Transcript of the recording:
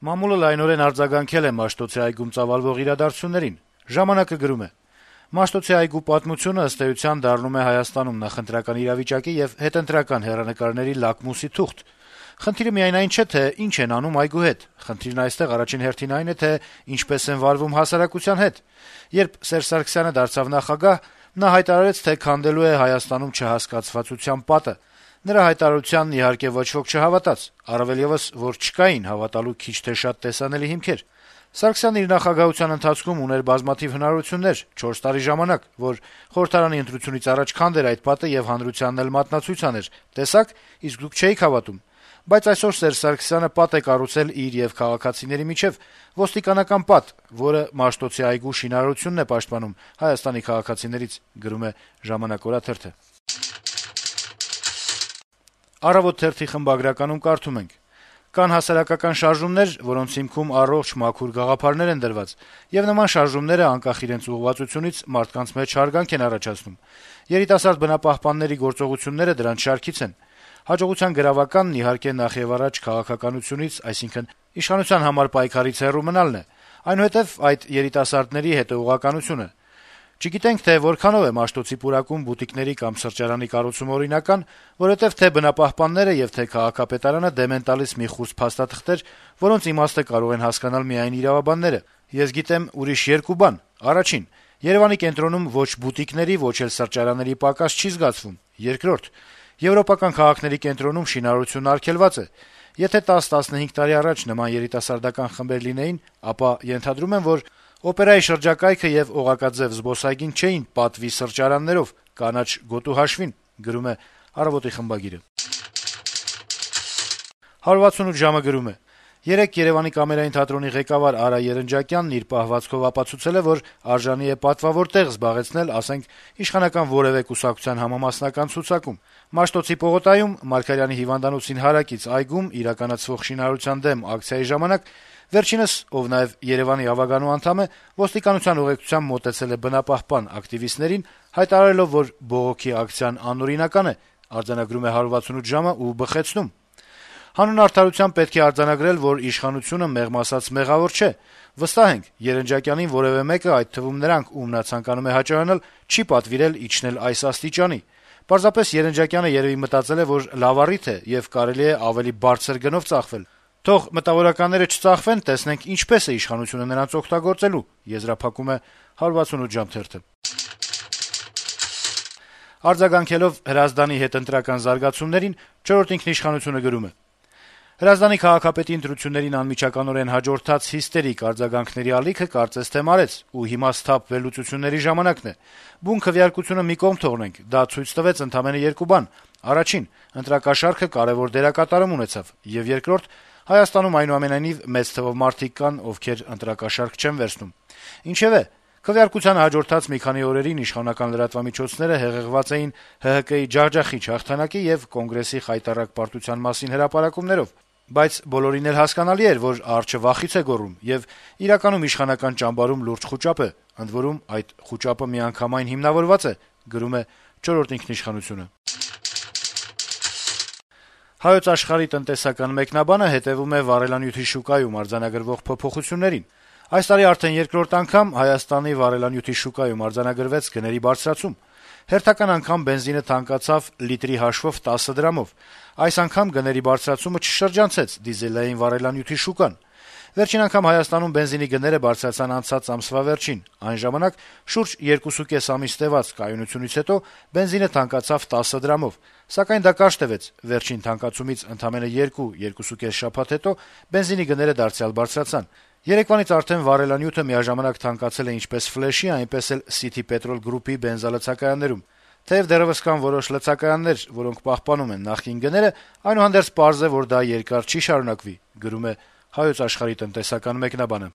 Մամուլը լայնորեն արձագանքել է Մաշտոցի այգում ծավալվող իրադարձություններին։ «Ժամանակ»-ը գրում է. - «Մաշտոցի այգու պատմությունը ըստ էության դառնում է Հայաստանում նախընտրական իրավիճակի եւ հետընտրական հեռանկարների լակմուսի թուղթ։ Խնդիրը միայն այն չէ, թե ինչ են անում այգու հետ, խնդիրն այստեղ առաջին հերթին այն է, թե ինչպես են վարվում հասարակության հետ։ Երբ Սերժ Սարգսյանը դարձավ նախագահ, նա հայտարարեց, թե քանդելու է Հայաստանում չհասկացվածության պատը։ Նրա հայտարարությանն իհարկե ոչ ոք չհավատաց, առավել եւս, որ չկային հավատալու քիչ թե շատ տեսանելի հիմքեր։ Սարգսյանն իր նախագահության ընթացքում ուներ բազմաթիվ հնարավորություններ, 4 տարի ժամանակ, որ խորհրդարանի ընտրությունից առաջ քանդեր այդ պատը եւ հանրությանն էլ մատնացույց աներ. տեսաք, իսկ դուք չէիք հավատում։ Բայց այսօր Սերժ Սարգսյանը պատ է կառուցել իր եւ քաղաքացիների միջեւ, ոստիկանական պատ, որը Մաշտոցի այգու շինարարությունն է պաշտպանում Հայաստանի քաղաքացիներից», գրում է «Ժամանակ» օրաթերթը։ «Առավոտ» թերթի խմբագրականում կարդում ենք. - «Կան հասարակական շարժումներ, որոնց հիմքում առողջ մաքուր գաղափարներ են դրված, եւ նման շարժումները, անկախ իրենց ուղղվածությունից, մարդկանց մեջ հարգանք են առաջացնում։ Երիտասարդ բնապահպանների գործողությունները դրանց շարքից են։ Հաջողության գրավականն, իհարկե, նախեւառաջ քաղաքականությունից, այսինքն իշխանության համար պայքարից հեռու մնալն է, այնուհետեւ այդ երիտասարդների հետեւողականությունը։ Չգիտենք, թե որքանով է Մաշտոցի պուրակում բուտիկների կամ սրճարանի կառուցումը օրինական, որովհետեւ թե բնապահպանները եւ թե քաղաքապետարանը դեմ են տալիս մի խումբ փաստաթղթեր, որոնց իմաստը կարող են հասկանալ միայն իրավաբանները։ Ես գիտեմ ուրիշ երկու բան. առաջին, Երեւանի կենտրոնում ոչ բուտիկների, ոչ էլ սրճարանների պակաս չի զգացվում։ Երկրորդ, եվրոպական քաղաքների կենտրոնում շինարարությունն արգելված է։ Եթե 10-15 տարի առաջ նման երիտասարդական խմբեր լինեին, ապա ենթադրում եմ, որ օպերայի շրջակայքը եւ օղակաձեւ զբոսայգին չէին պատվի սրճարաններով, կանաչ գոտու հաշվին», գրում է «Առավոտ»-ի խմբագիրը։ 168 ժամը գրում է. - «Երեկ Երեւանի կամերային թատրոնի ղեկավար Արա Երնջակյանն իր պահվածքով ապացուցել է, որ արժանի է պատվավոր տեղ զբաղեցնել, ասենք, իշխանական որեւէ կուսակցության համամասնական ցուցակում։ Մաշտոցի պողոտայում Մարգարյանի հիվանդանոցին հարակից այգում իրականացվող շինարարության դեմ ակցիայի ժամանակ վերջինս, ով նաեւ Երեւանի ավագանու անդամ է, ոստիկանության ուղեկցությամբ մոտեցել է բնապահպան ակտիվիստներին, հայտարարելով, որ բողոքի ակցիան անօրինական է, արձանագրում է 168 ժամը ու բխեցնում. «Հանուն արդարության պետք է արձանագրել, որ իշխանությունը մեղմ ասած մեղավոր չէ։ Վստահ ենք, Երնջակյանին որեւէ մեկը, այդ թվում նրանք, ում նա ցանկանում է հաճոյանալ, չի պատվիրել իջնել այս աստիճանի։ Պարզապես Երնջակյանը երեւի մտածել է, որ լավ առիթ է եւ կարելի է ավելի բարձր գնով ծախվել։ Թող մտավորականները չծախվեն, տեսնենք ինչպես է իշխանությունը նրանց օգտագործելու», եզրափակում է 168 ժամ թերթը։ Արձագանքելով Հրազդանի հետընտրական զարգացումներին, «Չորրորդ ինքնիշխանություն»-ը գրում է. - «Հրազդանի քաղաքապետի ընտրություններին անմիջականորեն հաջորդած հիստերիկ արձագանքների ալիքը կարծես թե մարեց, ու հիմա սթափ վերլուծությունների ժամանակն է։ Բուն քվեարկությունը մի կողմ թողնենք, դա ցույց տվեց ընդամենը երկու բան. առաջին, ընտրակաշառքը կարեւոր դերակատարում ունեցավ, եւ երկրորդ, Հայաստանում այնուամենայնիվ մեծ թվով մարդիկ կան, ովքեր ընտրակաշառք չեն վերցնում։ Ինչեւէ, քվեարկությանը հաջորդած մի քանի օրերին իշխանական լրատվամիջոցները հեղեղված էին ՀՀԿ-ի ջախջախիչ հաղթանակի եւ Կոնգրեսի խայտառակ պարտության մասին հրապարակումներով, բայց բոլորին էլ հասկանալի էր, որ արջը վախից է գոռում, եւ իրականում իշխանական ճամբարում լուրջ խուճապ է, ընդ որում այդ խուճապը միանգամայն հիմնավորված է», գրում է «Չորրորդ ինքնիշխանություն»-ը։ Հայոց Աշխարհի տնտեսական մեկնաբանը հետեւում է վառելանյութի շուկայում արձանագրվող փոփոխություններին։ Այս տարի արդեն երկրորդ անգամ Հայաստանի վառելանյութի շուկայում արձանագրվեց գների բարձրացում։ Հերթական անգամ բենզինը թանկացավ լիտրի հաշվով 10 դրամով։ Այս անգամ գների բարձրացումը չշրջանցեց դիզելային վառելանյութի շուկան։ Վերջին անգամ Հայաստանում բենզինի գները բարձրացան անցած ամսվա վերջին։ Այն ժամանակ շուրջ 2,5 ամիս տեւած կայունությունից հետո բենզինը թանկացավ 10 դրամով, սակայն դա կարճ տևեց։ Վերջին թանկացումից ընդամենը 2-2,5 շաբաթ հետո բենզինի գները դարձյալ բարձրացան։ Երեկվանից արդեն վառելանյութը միաժամանակ թանկացել է ինչպես Ֆլեշի, այնպես էլ City Petrol Group-ի բենզալցակայաններում։ Թեև դեռեւս կան որոշ լցակայաններ, որոնք պահպանում են նախկին գները, այնուհանդերձ պարզ է, որ դա երկար չի շարունակվի, գրում է Հայոց Աշխարհի տնտեսական մեկնաբանը։